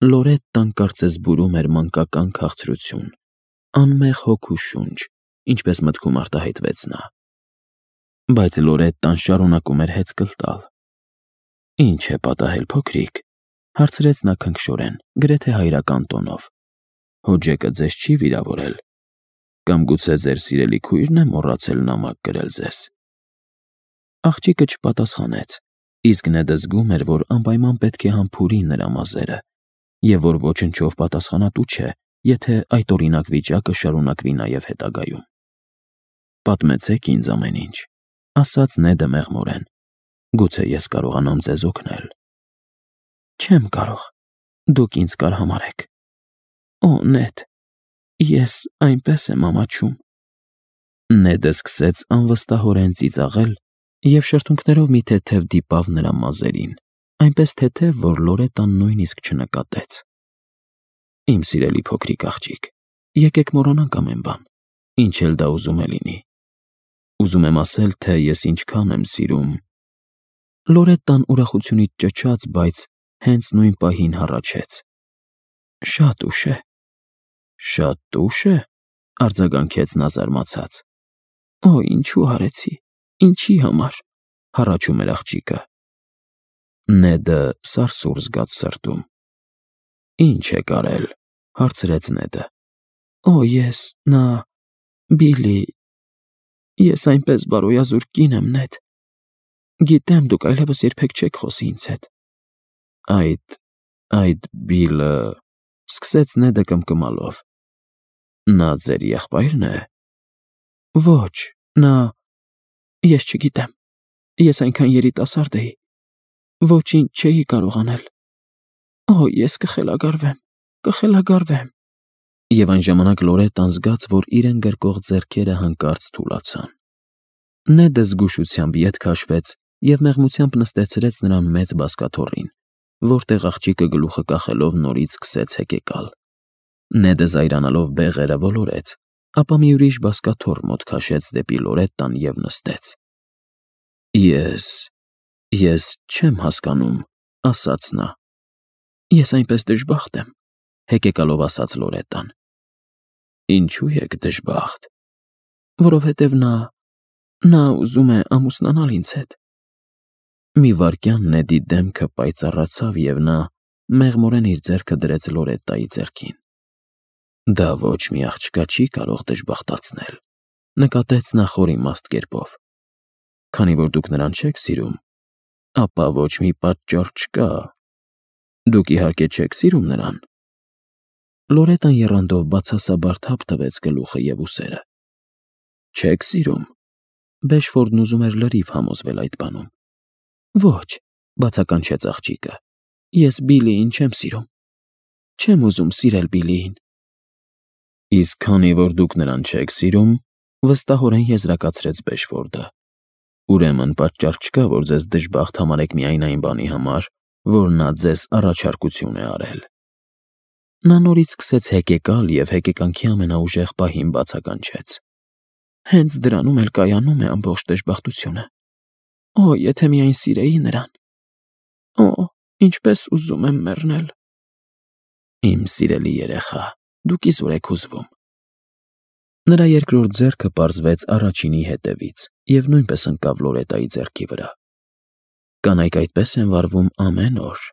Լորետտան կարծես բուրում էր մանկական քաղցրություն, անմեղ հոգու շունչ, ինչպես մտքում արտահայտվեց նա։ Բայց Լորետտան շարունակում էր հեծկլ տալ։ «Ինչ է պատահել, փոքրիկ», հարցրեց նա քնքշորեն, գրեթե հայրական տոնով։ «Հոջեկը ձեզ չի վիրավորել, կամ գուցե ձեր սիրելի քույրն է մոռացել նամակ գրել ձեզ»։ Աղջիկը չպատասխանեց, իսկ Նեդը զգում էր, որ անպայման պետք է համբուրի նրա մազերը, և որ ոչնչով պատասխանատու չէ, եթե այդօրինակ վիճակը շարունակվի նաև հետագայում։ «Պատմեցեք ինձ ամեն ինչ», ասաց Նեդը մեղմորեն։ «Գուցե ես կարողանամ ձեզ օգնել»։ «Չեմ կարող, դուք ինձ կարհամարհեք։ Օ, Նեդ, ես այնպես եմ ամաչում»։ Նեդը սկսեց անվստահորեն ծիծաղել և շրթունքներով մի թեթև դիպավ նրա մազերին, այնպես թեթև, որ Լորետան նույնիսկ չնկատեց։ «Իմ սիրելի փոքրիկ աղջիկ, եկեք մոռանանք ամեն բան, ինչ էլ դա ուզում է լինի։ Ուզում եմ ասել, թե ես ինչքան եմ սիրում…» Լորետան ուրախությունից ճչաց, բայց հենց նույն պահին հառաչեց։ «Շատ ուշ է»։ «Շատ ուշ է», արձագանքեց նա զարմացած։ «Օ, ինչու արեցի, ինչի համար», հառաչում էր աղջիկը։ Նեդը սարսուռ զգաց սրտում։ «Ինչ եք արել», հարցրեց Նեդը։ «Օ, Բիլի, ես այնպես բարոյազուր կին եմ, Նեդ։ Գիտեմ, դուք այլևս երբեք չեք խոսի ինձ հետ»։ Այդ Բիլը…» սկսեց Նեդը կմկմալով։ «Նա ձեր եղբայրն է»։ «Ոչ, ես չգիտեմ, ես այնքան երիտասարդ էի, ոչինչ չէի կարող անել։ Օ, ես կխելագարվեմ»։ Եվ այն ժամանակ Լորետան զգաց, որ իրեն գրկող ձեռքերը հանկարծ թուլացան։ Նեդը զգուշությամբ ետ քաշվեց և մեղմությամբ նստեցրեց նրան մեծ բազկաթոռին, որտեղ աղջիկը գլուխը կախելով նորից սկսեց հեկեկալ։ Նեդը զայրանալով բեղերը ոլորեց, ապա մի ուրիշ բազկաթոռ մոտ քաշեց դեպի Լորետտան և նստեց։ Ես չեմ հասկանում, ասաց նա։ «Ես այնպես դժբախտ եմ», հեկեկալով ասաց Լորետան։ «Ինչու եք դժբախտ»։ «Որովհետև նա ուզում է ամուսնանալ ինձ հետ»։ Մի վայրկյան Նեդի դեմքը պայծառացավ, և նա մեղմորեն իր ձեռքը դրեց Լորետտայի ձեռքին։ «Դա ոչ մի աղջկա չի կարող դժբախտացնել», նկատեց նա խոր իմաստ կերպով։ «Քանի որ դուք նրան չեք սիրում, ապա ոչ մի պատճառ չկա։ Դուք իհարկե չեք սիրում նրան»։ Լորետան եռանդով բացասաբար թափ տվեց գլուխը և ուսերը։ «Չեք սիրում»։ Բեշֆորդն ուզում էր լրիվ համոզվել այդ բանում։ «Ոչ», բացականչեց աղջիկը, «ես Բիլիին չեմ սիրում։ Չեմ ուզում սիրել Բիլիին»։ «Իսկ քանի որ դուք նրան չեք սիրում», վստահորեն եզրակացրեց Բեշֆորդը, «ուրեմն պատճառ չկա, որ ձեզ դժբախտ համարեք միայն այն բանի համար, որ նա ձեզ առաջարկություն է արել»։ Նա նորից սկսեց հեկեկալ և հեկեկանքի ամենաուժեղ պահին բացականչեց։ «Հենց դրանում էլ կայանում է ամբողջ դժբախտությունը։ Օ, եթե միայն սիրեի նրան։ Օ, ինչպես ուզում եմ մեռնել»։ «Իմ սիրելի երեխա, դուք իզուր եք հուզվում»։ Նրա երկրորդ ձեռքը պարզվեց առաջինի հետևից և նույնպես ընկավ Լորետայի ձեռքի վրա։ «Կանայք այդպես են վարվում ամեն օր։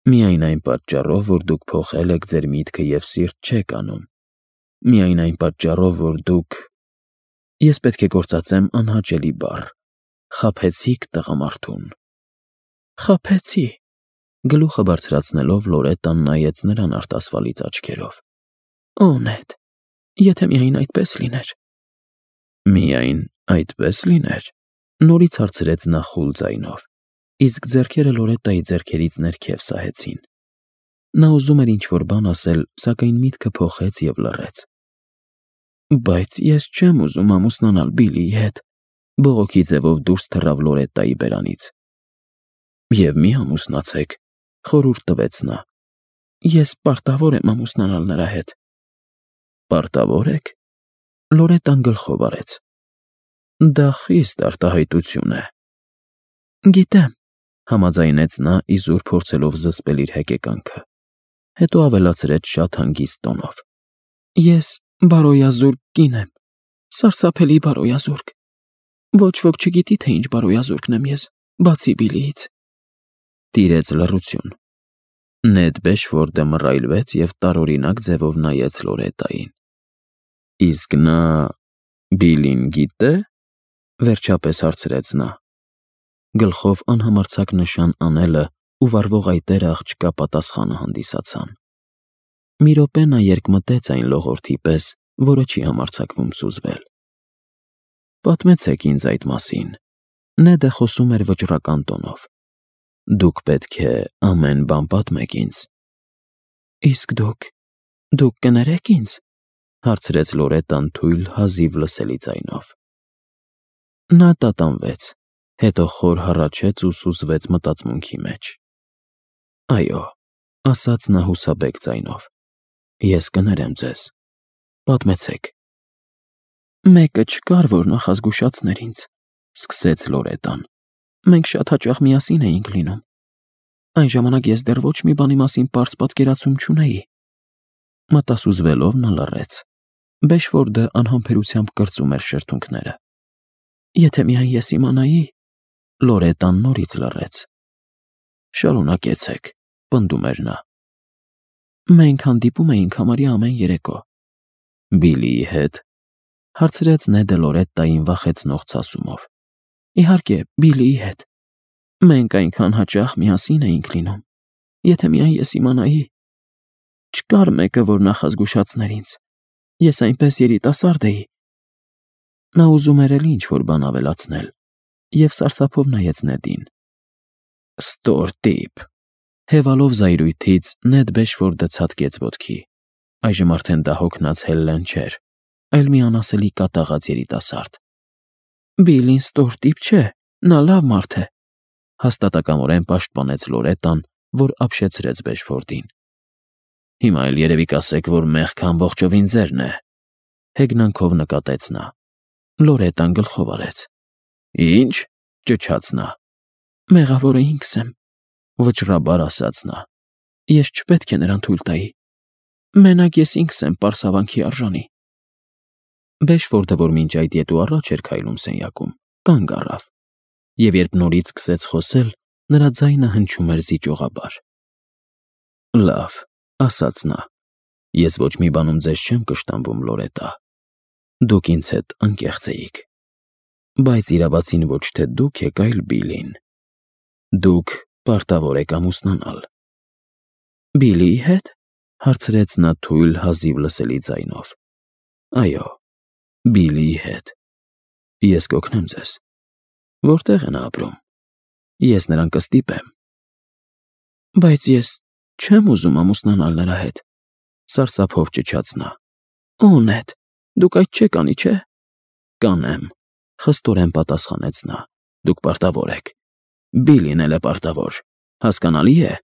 Միայն այն պատճառով, որ դուք փոխել եք ձեր միտքը և սիրտ չեք անում։ Միայն այն պատճառով, որ դուք…» Ես պետք է գործածեմ անհաճելի բառ… խաբեցիք տղամարդուն։ «Խաբեցի»։ Գլուխը բարձրացնելով Լորետան նայեց նրան արտասվալից աչքերով։ «Օ, Նեդ, եթե միայն այդպես լիներ»։ «Միայն այդպես լիներ»։ Նորից հարցրեց նա խուլ ձայնով, իսկ ձեռքերը Լորետայի ձեռքերից ներքև սահեցին։ Նա ուզում էր ինչ-որ բան ասել, սակայն միտքը փոխեց և լռեց։ «Բայց ես չեմ ուզում ամուսնանալ Բիլիի հետ», բողոքի ձևով դուրս թռավ Լորետայի բերանից։ «Եվ մի ամուսնացեք», խորհուրդ տվեց նա։ «Ես պարտավոր եմ ամուսնանալ նրա հետ»։ «Պարտավոր եք»։ Լորետան գլխով արեց։ «Դա խիստ արտահայտություն է»։ «Գիտեմ», համաձայնեց նա, իզուր փորձելով զսպել իր հեկեկանքը։ Հետո ավելացրեց շատ հանգիստ տոնով. Ես բարոյազուրկ կին եմ, սարսափելի բարոյազուրկ։ Ոչ ոք չգիտի, թե ինչ բարոյազուրկն եմ ես, բացի Բիլիից։ Տիրեց լռություն։ Նեդ Բեշֆորդը մռայլվեց և տարօրինակ ձևով նայեց Լորետային։ Իսկ նա Բիլին գիտե՞, վերջապես հարցրեց նա։ Գլխով անհամարձակ նշան անելը ու վառվող այտերը աղջկա պատասխանը հանդիսացան։ Մի րոպե նա երկմտեց այն լողորդի պես, որը չի համարձակվում սուզվել։ Պատմեցեք ինձ այդ մասին։ Նեդը խոսում էր վճռական տոնով։ Դուք պետք է ամեն բան պատմեք ինձ։ Իսկ դուք կներեք ինձ, հարցրեց Լորետան թույլ, հազիվ լսելի ձայնով։ Նա տատանվեց, հետո խոր հառաչեց ու սուզվեց մտածմունքի մեջ։ Այո, ասաց նա հուսաբեկ ձայնով, ես կներեմ ձեզ, պատմեցեք։ Մեկը չկար, որ նախազգուշացներ ինձ, սկսեց Լորետան։ Մենք շատ հաճախ միասին էինք լինում։ Այն ժամանակ ես դեռ ոչ մի բանի մասին պարզ պատկերացում չունեի։ Մտասուզվելով նա լռեց։ Բեշֆորդը անհամբերությամբ կրծում էր շրթունքները։ Եթե միայն ես իմանայի, Լորետան նորից լռեց։ Շարունակեցեք, պնդում էր նա։ Մենք հանդիպում էինք համարյա ամեն երեկո։ Բիլիի հետ, հարցրեց Նեդը Լորետային վախեցնող ցասումով։ Իհարկե, Բիլիի հետ։ Մենք այնքան հաճախ միասին էինք լինում։ Եթե միայն ես իմանայի։ Չկար մեկը, որ նախազգուշացներ ինձ։ Ես այնպես երիտասարդ էի։ Նա ուզում էր էլ ինչ-որ բան ավելացնել, և սարսափով նայեց Նեդին։ Ստոր տիպ։ Հևալով զայրույթից Նեդ Բեշֆորդը ցատկեց ոտքի։ Այժմ արդեն դա հոգնած Հելլեն չէր, այլ մի անասելի կատաղած երիտասարդ։ Բիլին ստոր տիպ չէ, նա լավ մարդ է, հաստատակամորեն պաշտպանեց Լորետան, որ ապշեցրեց Բեշֆորդին։ Հիմա էլ երևի կասեք, որ մեղքը ամբողջովին ձերն է, հեգնանքով նկատեց նա։ Լորետան գլխով արեց։ Ինչ, ճչաց նա։ Մեղավորը ինքս եմ, վճռաբար ասաց նա։ Ես չպետք է նրան թույլ տայի։ Մենակ ես ինքս եմ պարսավանքի արժանի։ Բեշֆորդը, որ մինչ այդ ետ ու առաջ էր քայլում սենյակում, կանգ առավ, և երբ նորից սկսեց խոսել, նրա ձայնը հնչում էր զիջողաբար։ Լավ, ասաց նա, ես ոչ մի բանում ձեզ չեմ կշտամբում, Լորետա։ Դուք ինձ հետ անկեղծ էիք։ Բայց իրավացին ոչ թե դուք եք, այլ Բիլին։ Դուք պարտավոր եք ամուսնանալ։ Բիլիի հետ, հարցրեց նա թույլ, հազիվ լսելի ձայնով։ Այո, Բիլիի հետ։ Ես կօգնեմ ձեզ։ Որտեղ է նա ապրում։ Ես նրան կստիպեմ։ Բայց ես չեմ ուզում ամուսնանալ նրա հետ, սարսափով ճչաց նա։ Օ, Նեդ, դուք այդ չեք անի, չէ։ Կանեմ, խստորեն պատասխանեց նա։ Դուք պարտավոր եք։ Բիլին էլ է պարտավոր, հասկանալի է։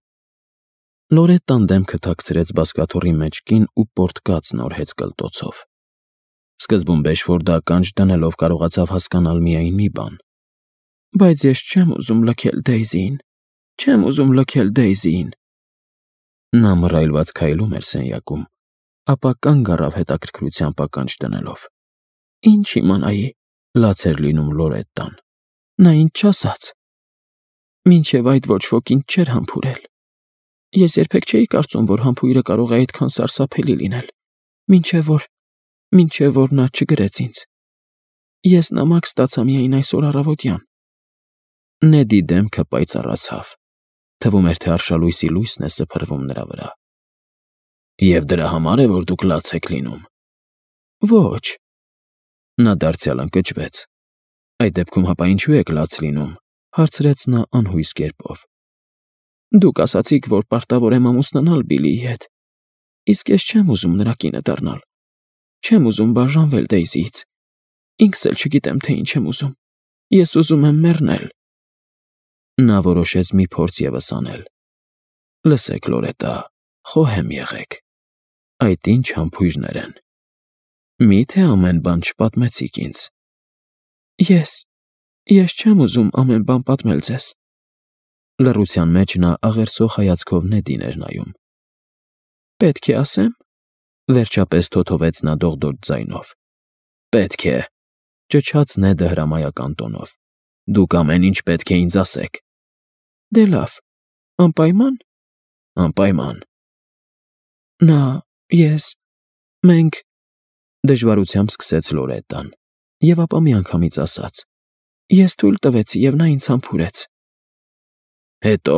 Լորետան դեմքը թաքցրեց բազկաթոռի մեջքին ու պորտկաց նորհեց կլտոցով։ Սկզբում Բեշֆորդը ականջ դնելով կարողացավ հասկանալ միայն մի բան։ Բայց ես չեմ ուզում լքել Դեյզիին։ Չեմ ուզում լքել Դեյզիին։ Նա մռայլված քայլում էր սենյակում, ապա կանգ առավ հետաքրքրությամբ ականջ դնելով։ Ինչ իմանայի, լաց էր լինում Լորետան։ Նա ինձ չասաց։ Մինչև այդ ոչ ոք ինձ չէր համբուրել։ Ես երբեք չէի կարծում, որ համբույրը կարող է այդքան սարսափելի լինել, մինչև որ նա չգրեց ինձ։ Ես նամակ ստացա միայն այսօր առավոտյան։ Նեդի դեմքը պայծառացավ։ Թվում էր, թե արշալույսի լույսն է սփռվում նրա վրա։ Եվ դրա համար է, որ դուք լաց եք լինում։ Ոչ։ Նա դարձյալ ընկճվեց։ Այդ դեպքում հապա ինչու եք լաց լինում, հարցրեց նա անհույս կերպով։ Դուք ասացիք, որ պարտավոր եմ ամուսնանալ Բիլիի հետ։ Իսկ ես չեմ ուզում նրա կինը դառնալ։ Չեմ ուզում բաժանվել Դեյզիից։ Ինքս էլ չգիտեմ, թե ինչ եմ ուզում։ Ես ուզում եմ մեռնել։ Նա որոշեց մի փորձ ևս անել։ Լսեք, Լորետա, խոհեմ եղեք։ Այդ ինչ համբույրներ են։ Մի՞թե ամեն բան չպատմեցիք ինձ։ Ես չեմ ուզում ամեն բան պատմել ձեզ։ Լռության մեջ նա աղերսող հայացքով Նեդին էր նայում։ Պետք է ասեմ, վերջապես թոթովեց նա դողդոջ ձայնով։ Պետք է, ճչաց Նեդը հրամայական տոնով։ Դուք ամեն ինչ պետք է ինձ ասեք։ Դե լավ, անպայման։ Անպայման։ Նա, ես, մենք, դժվարությամբ սկսեց Լորետան, և ապա միանգամից ասաց. Ես թույլ տվեցի, և նա ինձ համբուրեց։ Հետո,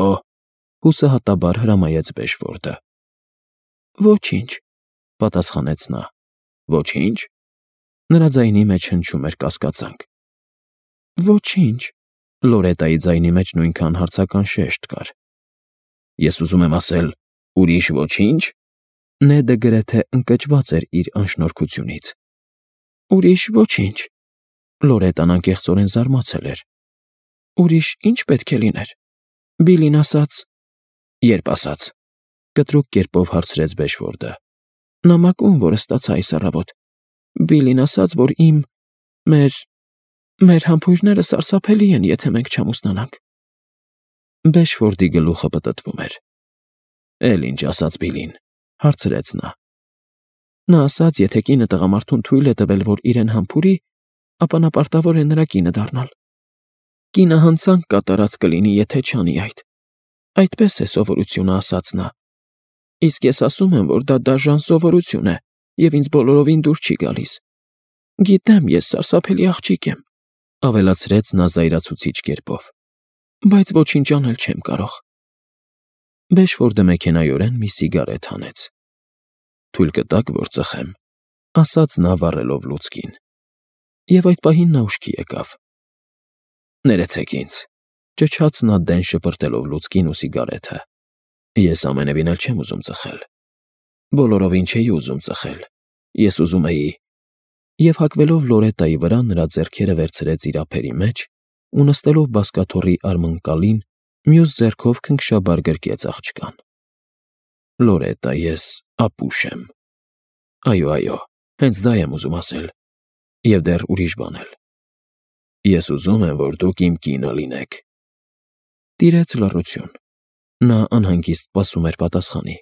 հուսահատաբար հրամայեց Բեշֆորդը։ Ոչինչ, պատասխանեց նա։ Ոչինչ։ Նրա ձայնի մեջ հնչում էր կասկածանք։ Ոչինչ, Լորետայի ձայնի մեջ նույնքան հարցական շեշտ կար։ Ես ուզում եմ ասել, ուրիշ ոչինչ։ Նեդը գրեթե ընկճված էր իր անշնորհքությունից։ Ուրիշ ոչինչ։ Լորետան անկեղծորեն զարմացել էր։ Ուրիշ ինչ պետք է լիներ։ Բիլին ասաց։ Երբ ասաց։ Կտրուկ կերպով հարցրեց Բեշֆորդը։ Նամակում, որը ստացա այս առավոտ։ Բիլին ասաց, որ մեր համբույրները սարսափելի են, եթե մենք չամուսնանանք։ Բեշֆորդի գլուխը պտտվում էր։ Էլ ինչ ասաց Բիլին, հարցրեց նա։ Նա ասաց, եթե կինը տղամարդուն թույլ է տվել, որ իրեն համբուրի, ապա նա պարտավոր է նրա կինը դառնալ։ Կինը հանցանք կատարած կլինի, եթե չանի այդ։ Այդպես է սովորությունը, ասաց նա։ Իսկ ես ասում եմ, որ դա դաժան սովորություն է, և ինձ բոլորովին դուր չի գալիս։ Գիտեմ, ես սարսափելի աղջիկ եմ, ավելացրեց նա զայրացուցիչ կերպով, բայց ոչինչ անել չեմ կարող։ Բեշֆորդը մեքենայորեն մի սիգարետ հանեց։ Թույլ կտաք, որ ծխեմ, ասաց նա վառելով լուցկին։ Եվ այդ պահին նա ուշքի եկավ։ Ներեցեք ինձ, ճչաց նա դեն շպրտելով լուցկին ու սիգարեթը։ Ես ամենևին էլ չեմ ուզում ծխել։ Բոլորովին չէի ուզում ծխել։ Ես ուզում էի։ Եվ հագվելով Լորետայի վրա նրա ձեռքերը վերցրեց իր ափերի մեջ ու նստելով բազկաթոռի արմնկալին, մյուս ձեռքով քնքշաբար գրկեց աղջկան։ Լորետա, ես ապուշ եմ։ Այո, հենց դա եմ ուզում ասել։ Եվ դեռ ուրիշ բան էլ։ Ես ուզում եմ, որ դուք իմ կինը լինեք։ Տիրեց լռություն։ Նա անհանգիստ սպասում էր պատասխանի։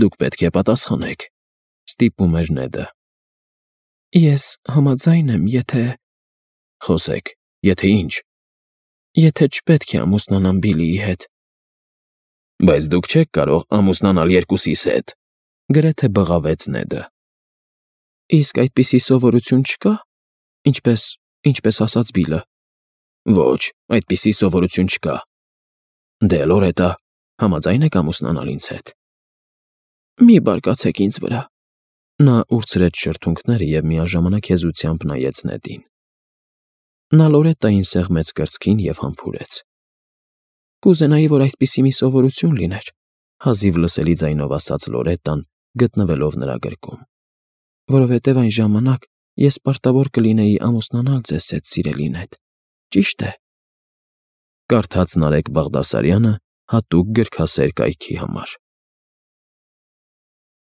Դուք պետք է պատասխանեք, ստիպում էր Նեդը։ Ես համաձայն եմ, եթե… Խոսեք, եթե ինչ։ Եթե չպետք է ամուսնանամ Բիլիի հետ։ Բայց դուք չեք կարող ամուսնանալ երկուսիս հետ, գրեթե բղավեց Նեդը։ Իսկ այդպիսի սովորություն չկա, ինչպես ասաց Բիլը։ Ոչ, այդպիսի սովորություն չկա։ Դե Լորետա, համաձայն եք ամուսնանալ ինձ հետ։ Մի բարկացեք ինձ վրա։ Նա ուրցրեց շրթունքները և միաժամանակ հեզությամբ նայեց Նեդին։ Նա Լորետային սեղմեց կրծքին և համբուրեց։ Կուզենայի, որ այդպիսի մի սովորություն լիներ, հազիվ լսելի ձայնով ասաց Լորետան, գտնվելով նրա գրկում։ Որովհետև այն ժամանակ ես պարտավոր կլինեի ամուսնանալ ձեզ հետ, սիրելին հետ։ Ճիշտ է։ Կարդաց Նարեկ Բաղդասարյանը հատուկ գրքասեր կայքի համար։